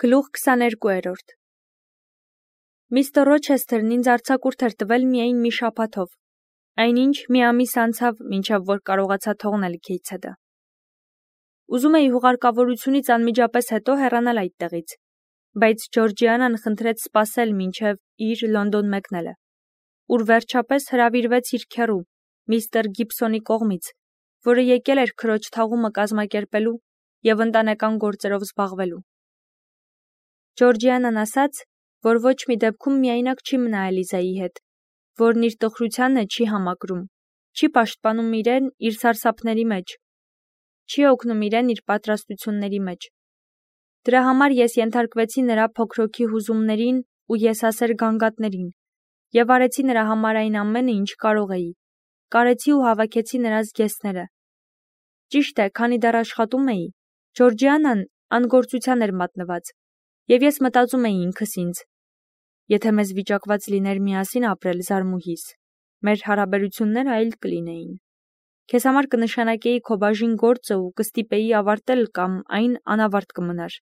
Գլուխ 22-րդ Միստր Ռոչեսթերն ինձ արձակուրդ էր տվել միայն մի շաբաթով, այնինչ մի ամիս անցավ, մինչև որ կարողացա թողնել Գեյթսեդը։ Ուզում էի հուղարկավորությունից անմիջապես հետո հեռանալ այդտեղից, բայց Ջորջիանան խնդրեց սպասել մինչև իր Լոնդոն մեկնելը, ուր վերջապես հրավիրվեց իր քեռու, միստր Գիբսոնի կողմից, որը եկել էր քրոջ թաղումը կազմակերպելու և ընտանեկան գործերով զբաղվելու։ Ջորջիանան ասաց, որ ոչ մի դեպքում միայնակ չի մնա Էլիզայի հետ, որն իր տխրությանը չի համակրում, չի պաշտպանում իրեն իր սարսափների մեջ, չի օգնում իրեն իր պատրաստությունների մեջ։ Դրա համար ես ենթարկվեցի նրա փոքրոքի հուզումներին ու եսասեր գանգատներին և արեցի նրա համար այն ամենը, ինչ կարող էի, կարեցի ու հավաքեցի նրա զգեստները։ Ճիշտ է, քանի դեռ աշխատում էի, Ջորջիանան անգործության էր մատնված, և ես մտածում էի ինքս ինձ. եթե մեզ վիճակված լիներ միասին ապրել զարմուհիս, մեր հարաբերությունները այլ կլինեին։ Քեզ համար կնշանակեի քո բաժին գործը ու կստիպեի ավարտել կամ այն անավարտ կմնար։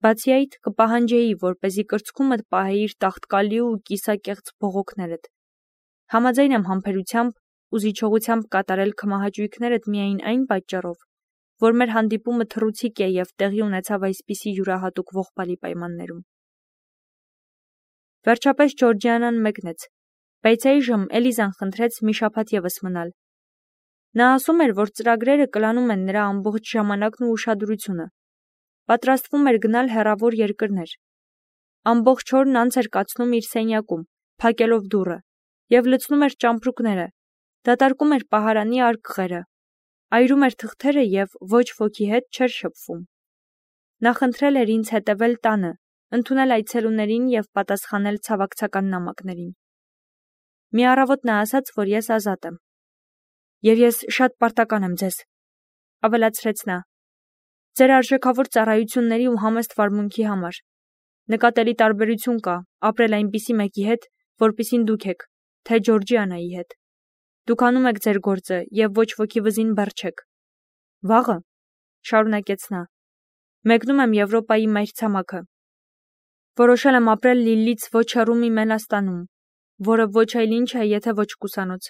Բացի այդ, կպահանջեի, որպեսզի կրծքումդ պահեիր տաղտկալի ու կիսակեղծ բողոքներդ։ Համաձայն եմ համբերությամբ ու զիջողությամբ կատարել քմահաճույքներդ միայն այն պատճառով, որ մեր հանդիպումը թռուցիկ է և տեղի ունեցավ այսպիսի յուրահատուկ ողբալի պայմաններում։ Վերջապես Ջորջիանան մեկնեց, բայց այժմ Էլիզան խնդրեց մի շաբաթ ևս մնալ։ Նա ասում էր, որ ծրագրերը կլանում են նրա ամբողջ ժամանակն ու ուշադրությունը։ Պատրաստվում էր գնալ հեռավոր երկրներ։ Ամբողջ օրն անց էր կացնում իր սենյակում, փակելով դուռը, և լցնում էր ճամպրուկները, դատարկում էր պահարանի արկղերը, այրում էր թղթերը և ոչ ոքի հետ չէր շփվում։ Նա խնդրել էր ինձ հետևել տանը, ընդունել այցելուներին և պատասխանել ցավակցական նամակներին։ Մի առավոտ նա ասաց, որ ես ազատ եմ։ Եվ ես շատ պարտական եմ ձեզ, ավելացրեց նա, ձեր արժեքավոր ծառայությունների ու համեստ վարմունքի համար։ Նկատելի տարբերություն կա ապրել այնպիսի մեկի հետ, որպիսին դուք եք, թե Ջորջիանայի հետ։ Դուք անում եք ձեր գործը և ոչ ոքի վզին բեռ չեք։ Վաղը, շարունակեց նա, մեկնում եմ Եվրոպայի մայրցամաքը։ Որոշել եմ ապրել Լիլլից ոչ հեռու մի Մենաստանում, որը ոչ այլ ինչ է, եթե ոչ կուսանոց։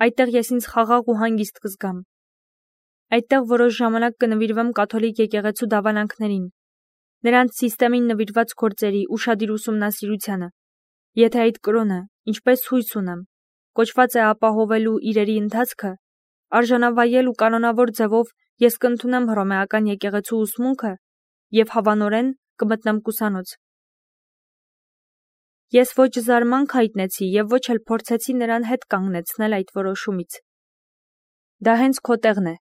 Այդտեղ ես ինձ խաղաղ ու հանգիստ կզգամ։ Այդտեղ որոշ ժամանակ կնվիրվեմ կաթոլիկ եկեղեցու դավանանքներին, նրանց սիստեմին նվիրված գործերի ուշադիր ուսումնասիրությանը, եթե այդ կրոնը, ինչպես հույս ունեմ, կոչված է ապահովելու իրերի ընթացքը, արժանավայել ու կանոնավոր ձևով ես կընդունեմ հռոմեական եկեղեցու ուսմունքը և հավանորեն կմտնեմ կուսանոց։ Ես ոչ զարմանք հայտնեցի և ոչ էլ փորձեցի նրան հետ կանգնեցնել այդ որոշումից։ Դա հենց քո տեղն է,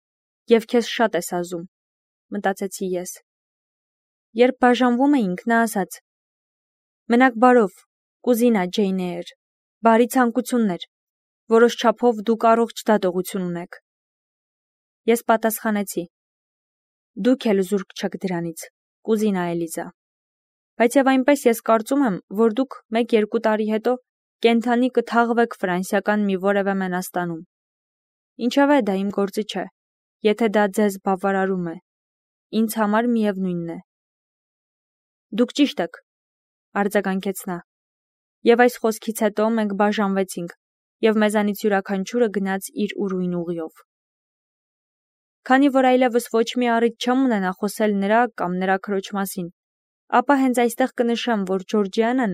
և քեզ շատ է սազում, մտածեցի ես։ Երբ բաժանվում էինք, նա ասաց. մնաք բարով, կուզինա Ջեյն Էյր, բարի ցանկություններ, որոշ չափով դուք առողջ դատողություն ունեք։ Ես պատասխանեցի. դուք էլ զուրկ չեք դրանից, կուզինա Էլիզա։ Բայց և այնպես ես կարծում եմ, որ դուք 1-2 տարի հետո կենդանի կթաղվեք ֆրանսիական մի որևէ Մենաստանում։ Ինչևէ, դա իմ գործը չէ, եթե դա ձեզ բավարարում է։ Ինձ համար միևնույնն է։ Դուք ճիշտ եք, արձագանքեց նա։ Եվ այս խոսքից հետո մենք բաժանվեցինք, և մեզանից յուրաքանչյուրը գնաց իր ուրույն ուղիով։ Քանի որ այլևս ոչ մի առիթ չեմ ունենա խոսել նրա կամ նրա քրոջ մասին, ապա հենց այստեղ կնշեմ, որ Ջորջիանան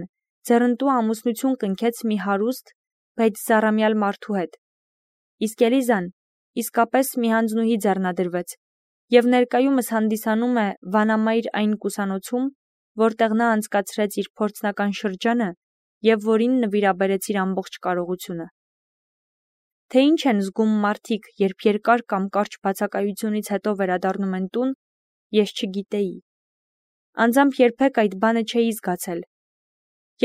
ձեռնտու ամուսնություն կնքեց մի հարուստ, բայց զառամյալ մարդու հետ, իսկ Էլիզան իսկապես մի հանձնուհի ձեռնադրվեց և ներկայումս հանդիսանում է վանամայր այն կուսանոցում, որտեղ նա անցկացրեց իր փորձնական շրջանը և որին նվիրաբերեց իր ամբողջ կարողությունը։ Թե ինչ են զգում մարդիկ, երբ երկար կամ կարճ բացակայությունից հետո վերադառնում են տուն, ես չգիտեի։ Անձամբ երբեք այդ բանը չէի զգացել։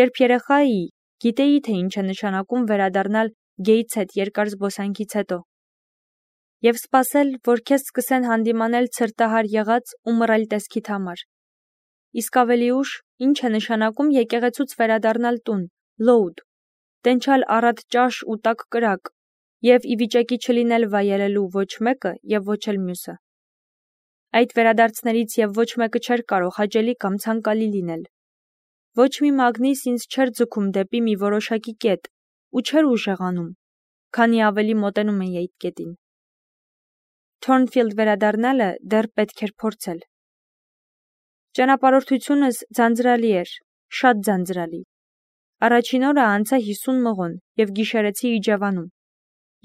Երբ երեխա էի, գիտեի, թե ինչ է նշանակում վերադառնալ Գեյթսեդ երկար զբոսանքից հետո և սպասել, որ քեզ սկսեն հանդիմանել ցրտահար եղած ու մռայլ տեսքիդ համար։ Իսկ ավելի ուշ, ինչ է նշանակում եկեղեցուց վերադառնալ տուն, լոուդ, տենչալ առատ ճաշ ու տաք կրակ և ի վիճակի չլինել վայելելու ոչ մեկը և ոչ էլ մյուսը։ Այդ վերադարձներից և ոչ մեկը չէր կարող հաճելի կամ ցանկալի լինել։ Ոչ մի մագնիս ինձ չէր ձգում դեպի մի որոշակի կետ ու չէր ուժեղանում, քանի ավելի մոտենում էի այդ կետին։ Թորնֆիլդ վերադառնալը դեռ պետք էր փորձել։ Ճանապարհորդությունս ձանձրալի էր, շատ ձանձրալի։ Առաջին օրը անցա 50 մղոն և գիշերեցի Իջևանում։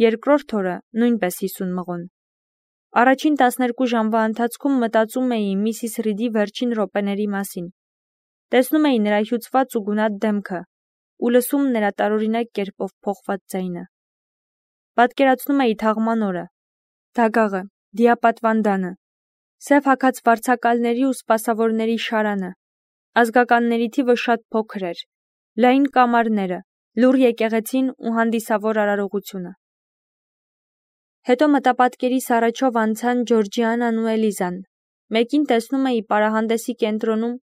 Երկրորդ օրը նույնպես 50 մղոն։ Առաջին 12 ժամվա ընթացքում մտածում էի Միսիս Ռիդի վերջին րոպեների մասին։ Տեսնում էի նրա հյուծված ու գունատ դեմքը ու լսում նրա տարօրինակ կերպով փոխված ձայնը։ Պատկերացնում էի թաղման օրը, դագաղը, դիապատվանդանը, սև հագած վարձակալների ու սպասավորների շարանը, ազգականների թիվը շատ փոքր էր, լայն կամարները, լուռ եկեղեցին ու հանդիսավոր արարողությունը։ Հետո մտապատկերիս առաջով անցան Ջորջիանան ու Էլիզան։ Մեկին տեսնում էի պարահանդեսի կենտրոնում,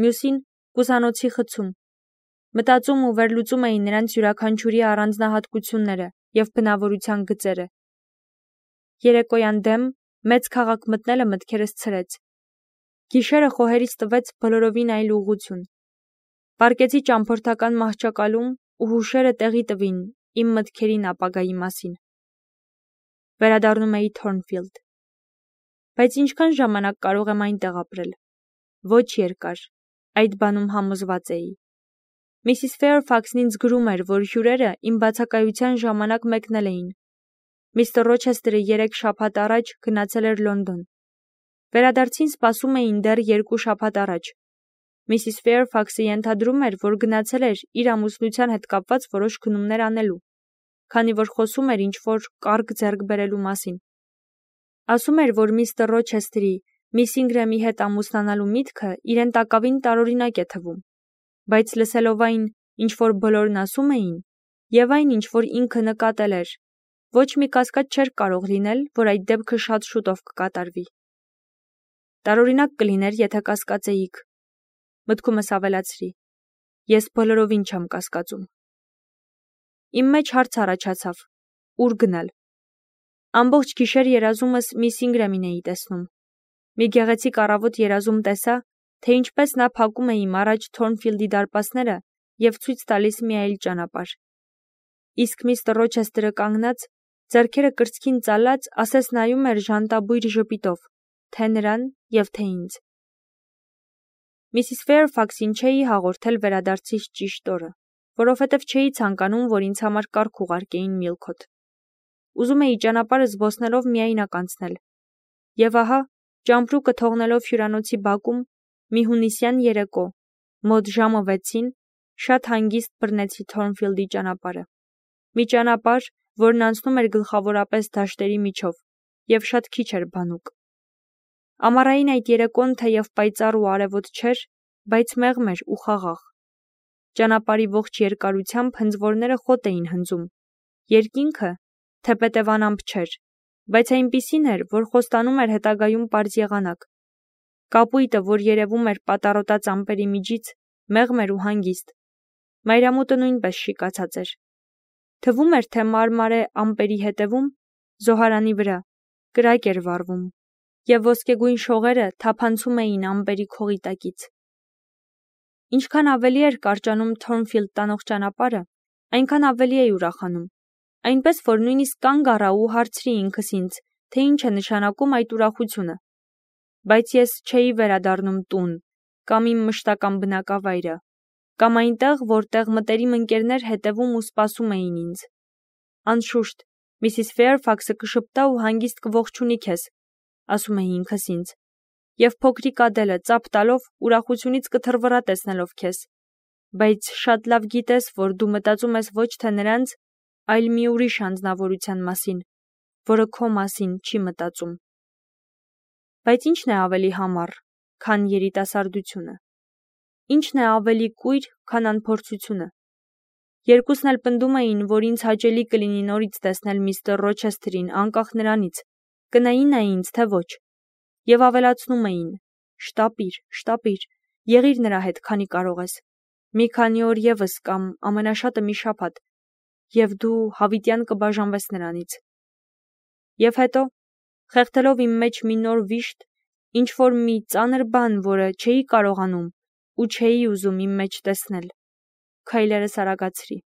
մյուսին կուսանոցի խցում։ Մտածում ու վերլուծում էի նրանց յուրաքանչյուրի առանձնահատկությունները և բնավորության գծերը։ Երեկոյան դեմ մեծ քաղաք մտնելը մտքերս ցրեց։ Գիշերը խոհերից տվեց բոլորովին այլ ուղղություն։ Պառկեցի ճամփորդական մահճակալում ու հուշերը տեղի տվին իմ մտքերին ապագայի մասին։ Վերադառնում էի Թորնֆիլդ։ Բայց ինչքան ժամանակ կարող եմ այնտեղ ապրել։ Ոչ երկար, այդ բանում համոզված էի։ Միսիս Ֆեյրֆաքսն ինձ գրում էր, որ հյուրերը իմ բացակայության ժամանակ մեկնել էին։ Միստր Ռոչեսթերը 3 շաբաթ առաջ գնացել էր Լոնդոն։ Վերադարձին սպասում էին դեռ 2 շաբաթ առաջ։ Միսիս Ֆեյրֆաքսը ենթադրում էր, որ գնացել էր իր ամուսնության հետ կապված որոշ քննումներ անելու, քանի որ խոսում էր ինչ-որ կարգ ձեռք բերելու մասին։ Ասում էր, որ միստր Ռոչեսթերի միս Ինգրեմի հետ ամուսնանալու միտքը իրեն տակավին տարօրինակ է թվում, բայց լսելով այն, ինչ որ բոլորն ասում էին, և այն, ինչ որ ինքը նկատել էր, ոչ մի կասկած չէր կարող լինել, որ այդ դեպքը շատ շուտով կկատարվի։ Տարօրինակ կլիներ, եթե կասկածեիք, մտքումս ավելացրի։ Ես բոլորովին չեմ կասկածում։ Իմ մեջ հարց առաջացավ. ուր գնալ։ Ամբողջ գիշեր երազումս միս Ինգրեմին էի տեսնում։ Մի գեղեցիկ առավոտ երազում տեսա, թե ինչպես նա փակում է իմ առաջ Թորնֆիլդի դարպասները և ցույց տալիս մի այլ ճանապարհ։ Իսկ միստր Ռոչեսթերը կանգնած, ձեռքերը կրծքին ծալած, ասես նայում էր ժանտաբույր ժպիտով, թե նրան և թե ինձ։ Միսիս Ֆեյրֆաքսին չէի հաղորդել վերադարձիս ճիշտ օրը, որովհետև չէի ցանկանում, որ ինձ համար կարգ ուղարկեին Միլքոթ։ Ուզում էի ճանապարհը զբոսնելով միայնակ անցնել։ Եվ ահա, ճամպրուկը թողնելով հյուրանոցի բակում, մի հունիսյան երեկո, մոտ ժամը 6-ին, շատ հանգիստ բռնեցի Թորնֆիլդի ճանապարհը։ Մի ճանապարհ, որն անցնում էր գլխավորապես դաշտերի միջով, և շատ քիչ էր բանուկ։ Ամառային այդ երեկոն թեև պայծառ ու արևոտ չէր, բայց մեղմ էր ու խաղաղ։ Ճանապարհի ողջ երկարությամբ հնձվորները խոտ էին հնձում։ Երկինքը, թեպետ անամպ չէր, բայց այնպիսին էր, որ խոստանում էր հետագայում պարզ եղանակ։ Կապույտը, որ երևում էր պատառոտած ամպերի միջից, մեղմ էր ու հանգիստ։ Մայրամուտը նույնպես շիկացած էր։ Թվում էր, թե մարմարե ամպերի հետևում, զոհարանի վրա, կրակ էր վառվում, և ոսկեգույն շողերը թափանցում էին ամպերի քողի տակից։ Ինչքան ավելի էր կարճանում Թորնֆիլդ տանող ճանապարհը, այնքան ավելի էի ուրախանում, այնպես որ նույնիսկ կանգ առա ու հարցրի ինքս ինձ, թե ինչ է նշանակում այդ ուրախությունը։ Բայց ես չէի վերադառնում տուն, կամ իմ մշտական բնակավայրը, կամ այնտեղ, որտեղ մտերիմ ընկերներ հետևում ու սպասում էին ինձ։ Անշուշտ, Միսիս Ֆեյրֆաքսը կշպտա ու հանգիստ կողջունի քեզ, ասում էի ինքս ինձ, և փոքրիկ Ադելը ծափ տալով ուրախությունից կթռվռա տեսնելով քեզ, բայց շատ լավ գիտես, որ դու մտածում ես ոչ թե նրանց, այլ մի ուրիշ անձնավորության մասին, որը քո մասին չի մտածում։ Բայց ի՞նչն է ավելի համառ, քան երիտասարդությունը։ Ի՞նչն է ավելի կույր, քան անփորձությունը։ Երկուսն էլ պնդում էին, որ ինձ հաճելի կլինի նորից տեսնել միստր Ռոչեսթերին, անկախ նրանից, կնայի նա ինձ, թե ոչ, և ավելացնում էին. շտապիր, եղիր նրա հետ, քանի կարող ես, մի քանի օր ևս կամ ամենաշատը մի շաբաթ, և դու հավիտյան կբաժանվես նրանից։ Եվ հետո, խեղդելով իմ մեջ մի նոր վիշտ, ինչ-որ մի ծանր բան, որը չէի կարողանում ու չէի ուզում իմ մեջ տեսնել։ Քայլերս արագացրի։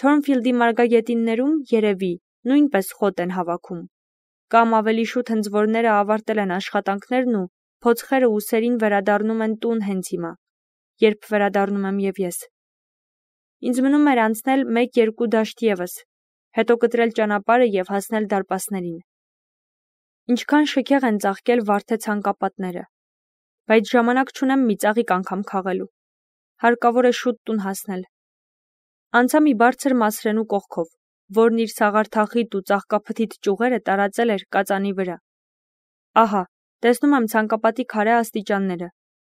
Թորնֆիլդի մարգագետիններում, երևի, նույնպես խոտ են հավաքում, կամ ավելի շուտ հնձվորները ավարտել են աշխատանքներն ու փոცხերը ուսերին վերադառնում են տուն հենց հիմա, երբ վերադառնում եմ և ես։ Ինձ մնում էր անցնել 1-2 դաշտ ևս, հետո կտրել ճանապարհը և հասնել դարպասներին։ Ինչքան շքեղ են ծաղկել վարդե ցանկապատները, բայց ժամանակ չունեմ մի ծաղիկ անգամ քաղելու։ Հարկավոր է շուտ տուն հասնել։ Անցա մի բարձր մասրենու կողքով, որն իր սաղարթախիտ ու ծաղկափթիթ ճյուղերը տարածել էր կածանի վրա։ Ահա, տեսնում եմ ցանկապատի քարե աստիճանները,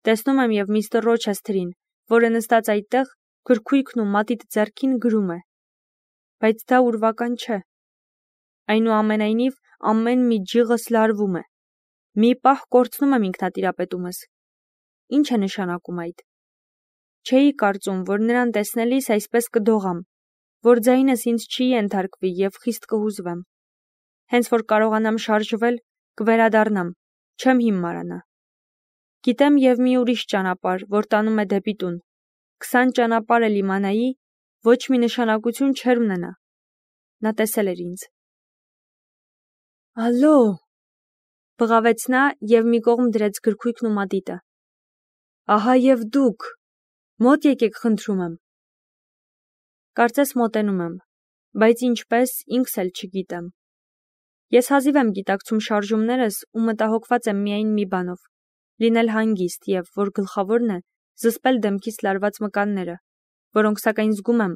տեսնում եմ և միստր Ռոչեսթերին, որը նստած այդտեղ, գրքույկն ու մատիտ ձեռքին գրում է։ Բայց դա ուրվական չէ։ Այնուամենայնիվ, ամեն մի ջիղս լարվում է։ Մի պահ կորցնում եմ ինքնատիրապետումս։ Ինչ է նշանակում այդ։ Չէի կարծում, որ նրան տեսնելիս այսպես կդողամ, որ ձայնս ինձ չի ենթարկվի և խիստ կհուզվեմ։ Հենց որ կարողանամ շարժվել, կվերադառնամ, չեմ հիմարանա։ Գիտեմ և մի ուրիշ ճանապարհ, որ տանում է դեպի տուն։ 20 ճանապարհ էլ իմանայի, ոչ մի նշանակություն չէր ունենա։ Նա տեսել էր ինձ։ Ալո, բղավեց նա և մի կողմ դրեց գրքույկն ու մատիտը։ Ահա և դուք, մոտ եկեք խնդրում եմ։ Կարծես մոտենում եմ, բայց ինչպես ինքս էլ չգիտեմ։ Ես հազիվ եմ գիտակցում շարժումներս ու մտահոգված եմ միայն մի բանով՝ լինել հանգիստ և, որ գլխավորն է, զսպել դեմքիս լարված մկանները, որոնք սակայն զգում եմ,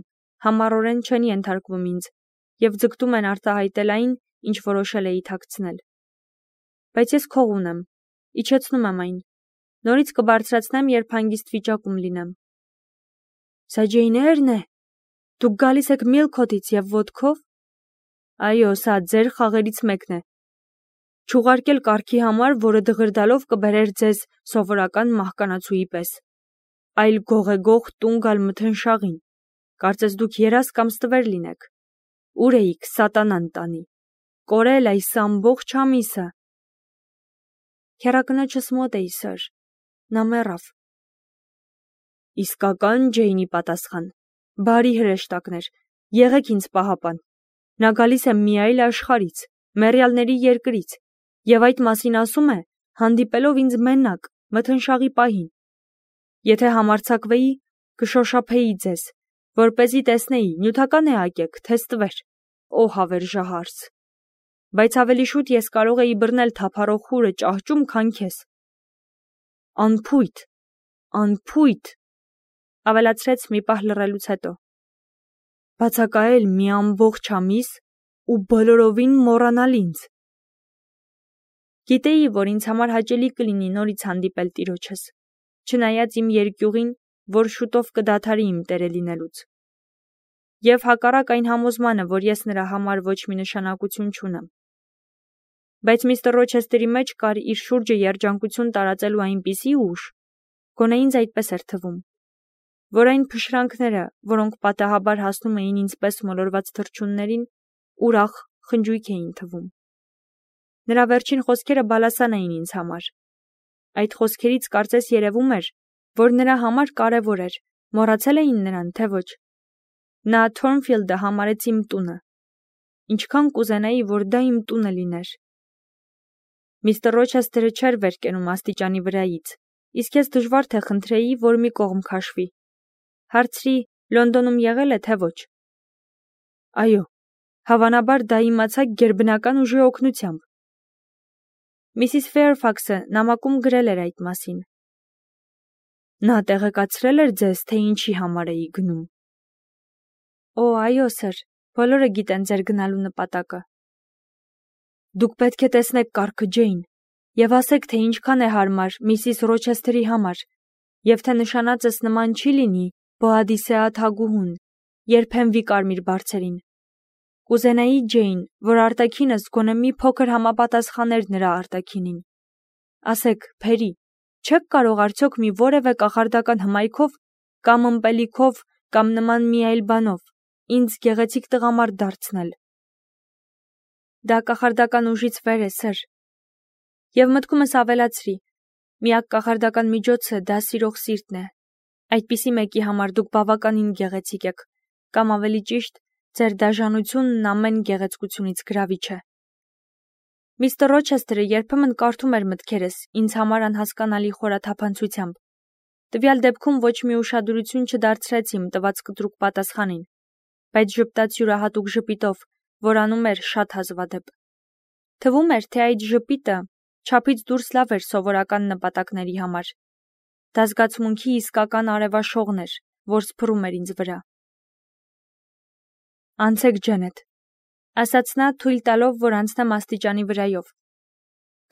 համառորեն չեն ենթարկվում ինձ և ձգտում են արտահայտել այն, ինչ որոշել էի թաքցնել։ Բայց ես քող ունեմ, իջեցնում եմ այն, նորից կբարձրացնեմ, երբ հանգիստ վիճակում լինեմ։ Սա Ջեյն է։ Դուք գալիս եք Միլքոթից և ոտքով։ Այո, սա ձեր խաղերից մեկն է։ Չուղարկել կառքի համար, որը դղրդալով կբերեր ձեզ սովորական մահկանացուի պես, այլ գողեգող տուն գալ մթնշաղին։ Կարծես դուք երազ կամ ստվեր լինեք։ Ուր էիք, սատանան տանի։ Կորել այս ամբողջ ամիսը։ Քեռակնոջս մոտ էի, սըր։ Նա մեռավ։ Իսկական Ջեյնի պատասխան։ Բարի հրեշտակներ, եղեք ինձ պահապան։ Նա գալիս է մի այլ աշխարհից, մեռյալների երկրից, և այդ մասին ասում է, հանդիպելով ինձ մենակ, մթնշաղի պահին։ Եթե համարձակվեի, կշոշափեի ձեզ, որպեսզի տեսնեի, նյութական է ակեք, թե ստվեր, օ հավերժահարս։ Բայց ավելի շուտ ես կարող էի բռնել թափառող խուրը ճահճում, քան քեզ։ Անփույթ, անփույթ, ավելացրեց մի պահ լռելուց հետո։ Բացակայել մի ամբողջ ամիս ու բոլորովին մոռանալ ինձ։ Գիտեի, որ ինձ համար հաճելի կլինի նորից հանդիպել տիրոջս, չնայած իմ երկյուղին, որ շուտով կդադարի իմ տերը լինելուց։ Եվ հակառակ այն համոզմանը, որ ես նրա համար ոչ մի նշանակություն չունեմ։ Բայց միստր Ռոչեսթերի մեջ կար իր շուրջը երջանկություն տարածելու այնպիսի ուժ, գոնե ինձ այդպես էր թվում, որ այն փշրանքները, որոնք պատահաբար հասնում էին ինձպես մոլորված թռչուններին, ուրախ խնջույք էին թվում։ Նրա վերջին խոսքերը բալասան էին ինձ համար։ Այդ խոսքերից կարծես երևում էր, որ նրա համար կարևոր էր, մոռացել էին նրան, թե ոչ։ Նա Թորնֆիլդը համարեց իմ տունը։ Ինչքան կուզենայի, որ դա իմ տունը լիներ։ Միստր Ռոչեսթերը չէր վեր կենում աստիճանի վրայից, իսկ ես դժվար թե խնդրեի, որ մի կողմ քաշվի։ Հարցրի, Լոնդոնում եղել է, թե ոչ։ Այո, հավանաբար դա իմացա գերբնական ուժի օգնությամբ։ Միսիս Ֆեյրֆաքսը նամակում գրել էր այդ մասին։ Նա տեղեկացրել էր ձեզ, թե ինչի համար էի գնում։ Օ, այո, սըր, բոլորը գիտեն ձեր գնալու նպատակը։ Դուք պետք է տեսնեք կառքը, Ջեյն, և ասեք, թե ինչքան է հարմար միսիս Ռոչեսթերի համար, և թե նշանածս նման չի լինի Բոադիսեա թագուհուն, երբեմվի կարմիր բարձերին։ Կուզենայի, Ջեյն, որ արտաքինս գոնե մի փոքր համապատասխաներ նրա արտաքինին։ Ասեք, Փերի, չեք կարող արդյոք մի որևէ կախարդական հմայքով կամ ըմպելիքով կամ նման մի այլ բանով ինձ գեղեցիկ տղամարդ դարձնել։ Դա կախարդական ուժից վեր է, սըր։ Եվ մտքումս ավելացրի. միակ կախարդական միջոցը դա սիրող սիրտն է։ Այդպիսի մեկի համար դուք բավականին գեղեցիկ եք, կամ ավելի ճիշտ, ձեր դաժանությունն ամեն գեղեցկությունից գրավիչ է։ Միստր Ռոչեսթերը երբեմն կարդում էր մտքերս ինձ համար անհասկանալի խորաթափանցությամբ։ Տվյալ դեպքում ոչ մի ուշադրություն չդարձրեց իմ տված կտրուկ պատասխանին, բայց ժպտաց յուրահատուկ ժպիտով, որ անում էր շատ հազվադեպ։ Թվում էր, թե այդ ժպիտը չափից դուրս լավ էր սովորական նպատակների համար։ Դա զգացմունքի իսկական արևաշողն էր, որ սփռում էր ինձ վրա։ Անցեք Ջենետ, ասաց նա թույլ տալով, որ անցնեմ աստիճանի վրայով։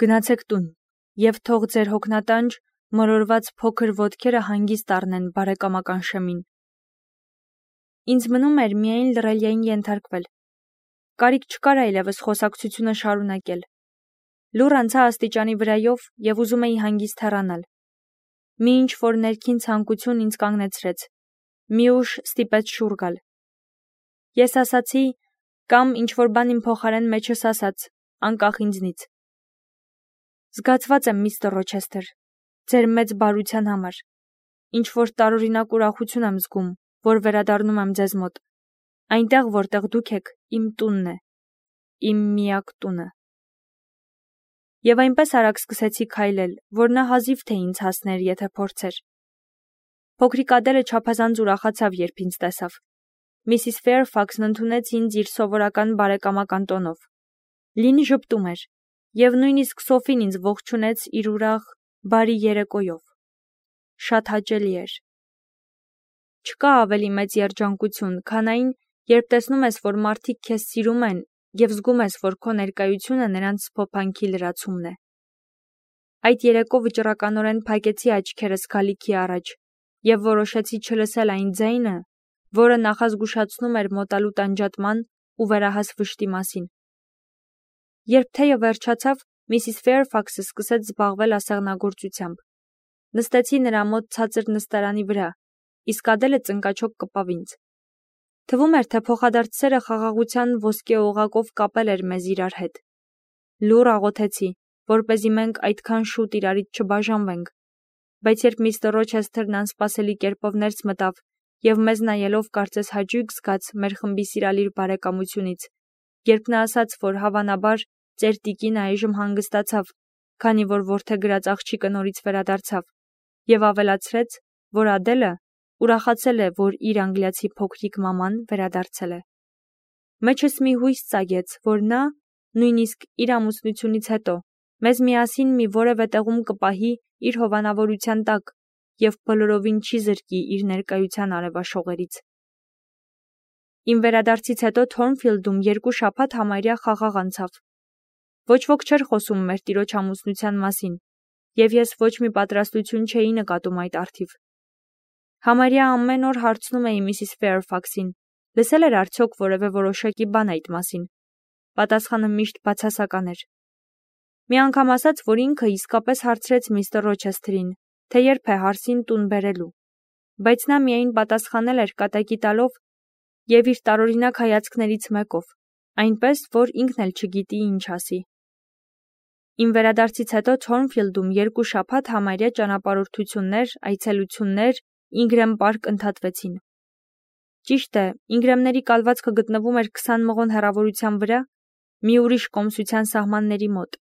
Գնացեք տուն, և թող ձեր հոգնատանջ մորորված փոքր ոտքերը հանգիստ առնեն բարեկամական շեմին։ Ինձ մնում էր միայն լռելիային ենթարկվել։ Կարիք չկար այլևս խոսակցությունը շարունակել։ Լուռ անցա աստիճանի վրայով և ուզում էի հանգիստ հեռանալ։ Մի ինչ-որ ներքին ցանկություն ինձ կանգնեցրեց։ Մի ուժ ստիպեց շուռ գալ։ Ես ասացի, կամ ինչ-որ բան իմ փոխարեն մեջս ասաց, անկախ ինձնից. Զգացված եմ, միստր Ռոչեսթեր, ձեր մեծ բարության համար։ Ինչ-որ տարօրինակ ուրախություն եմ զգում, որ վերադառնում եմ ձեզ մոտ։ Այնտեղ, որտեղ դուք եք, իմ տունն է, իմ միակ տունը։ Եվ այնպես արագ սկսեցի քայլել, որ նա հազիվ թե ինձ հասներ, եթե փորձեր։ Փոքրիկ Ադելը չափազանց ուրախացավ, երբ ինձ տեսավ։ Միսիս Ֆեյրֆաքսն ընդունեց ինձ իր սովորական բարեկամական տոնով։ Լինի ժպտում էր, և նույնիսկ Սոֆին ինձ ողջունեց իր ուրախ, բարի երեկոյով։ Շատ հաճելի էր։ Չկա ավելի մեծ երջանկություն, քան այն, երբ տեսնում ես, որ մարդիկ քեզ սիրում են և զգում ես, որ քո ներկայությունը նրանց սփոփանքի լրացումն է։ Այդ երեկո վճռականորեն փակեցի աչքերս գալիքի առաջ և որոշեցի չլսել այն ձայնը, որը նախազգուշացնում էր մոտալու տանջատման ու վերահաս վշտի մասին։ Երբ թեյը վերջացավ, Միսիս Ֆեյրֆաքսը սկսեց զբաղվել ասեղնագործությամբ։ Նստեցի նրա մոտ ցածր նստարանի վրա, իսկ Ադելը ծնկաչոք կպավ ինձ։ Թվում էր, թե փոխադարձ սերը խաղաղության ոսկե օղակով կապել էր մեզ իրար հետ։ Լուռ աղոթեցի, որպեսզի մենք այդքան շուտ իրարից չբաժանվենք, բայց երբ միստր Ռոչեսթերն անսպասելի կերպով ներս մտավ և մեզ նայելով կարծես հաճույք զգաց մեր խմբի սիրալիր բարեկամությունից, երբ նա ասաց, որ հավանաբար ծեր տիկինը այժմ հանգստացավ, քանի որ որդեգրած աղջիկը նորից վերադարձավ, և ավելացրեց, որ Ադելը ուրախացել է, որ իր անգլիացի փոքրիկ մաման վերադարձել է։ Մեջս մի հույս ծագեց, որ նա, նույնիսկ իր ամուսնությունից հետո, մեզ միասին մի որևէ տեղում կպահի իր հովանավորության տակ և բոլորովին չի զրկի իր ներկայության արևաշողերից։ Իմ վերադարձից հետո Թորնֆիլդում 2 շաբաթ համարյա խաղաղ անցավ։ Ոչ ոք չէր խոսում մեր տիրոջ ամուսնության մասին, և ես ոչ մի պատրաստություն չէի նկատում այդ առթիվ։ Համարյա ամեն օր հարցնում էի Միսիս Ֆեյրֆաքսին, լսել էր արդյոք որևէ որոշակի բան այդ մասին։ Պատասխանը միշտ բացասական էր։ Մի անգամ ասաց, որ ինքը իսկապես հարցրեց միստր Ռոչեսթերին, թե երբ է հարսին տուն բերելու, բայց նա միայն պատասխանել էր կատակի տալով և իր տարօրինակ հայացքներից մեկով, այնպես, որ ինքն էլ չգիտի ինչ ասի։ Իմ վերադարձից հետո Թորնֆիլդում 2 շաբաթ համարյա ճանապարհորդություններ, այցելություններ, Ինգրեմ պարկ ընդհատվեցին։ Ճիշտ է, Ինգրեմների կալվածքը գտնվում էր 20 մղոն հեռավորության վրա, մի ուրիշ կոմսության սահմանների մոտ,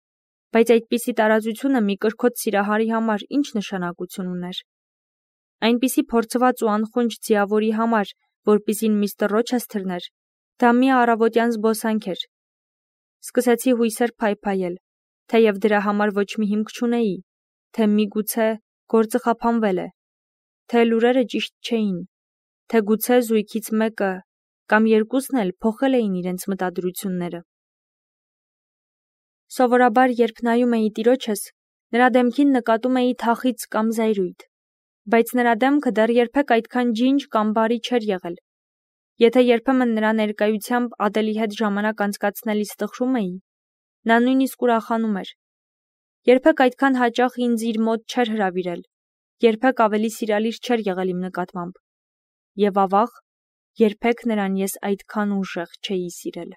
բայց այդպիսի տարածությունը մի կրքոտ սիրահարի համար ինչ նշանակություն ուներ։ Այնպիսի փորձված ու անխոնջ ձիավորի համար, որպիսին միստր Ռոչեսթերն էր, դա մի առավոտյան զբոսանք էր։ Սկսեցի հույսեր փայփայել, թեև դրա համար ոչ մի հիմք չունեի, թե միգուցե գործը խափանվել է, թե լուրերը ճիշտ չէին, թե գուցե զույգից մեկը կամ երկուսն էլ փոխել էին իրենց մտադրությունները։ Սովորաբար, երբ նայում էի տիրոջս, նրա դեմքին նկատում էի թախիծ կամ զայրույթ, բայց նրա դեմքը դեռ երբեք այդքան ջինջ կամ բարի չէր եղել։ Եթե երբեմն նրա ներկայությամբ Ադելի հետ ժամանակ անցկացնելիս տխրում էի, նա նույնիսկ ուրախանում էր։ Երբեք այդքան հաճախ ինձ իր մոտ չէր հրավիրել, երբեք ավելի սիրալիր չէր եղել իմ նկատմամբ։ Եվ ավաղ, երբեք նրան ես այդքան ուժեղ չէի սիրել։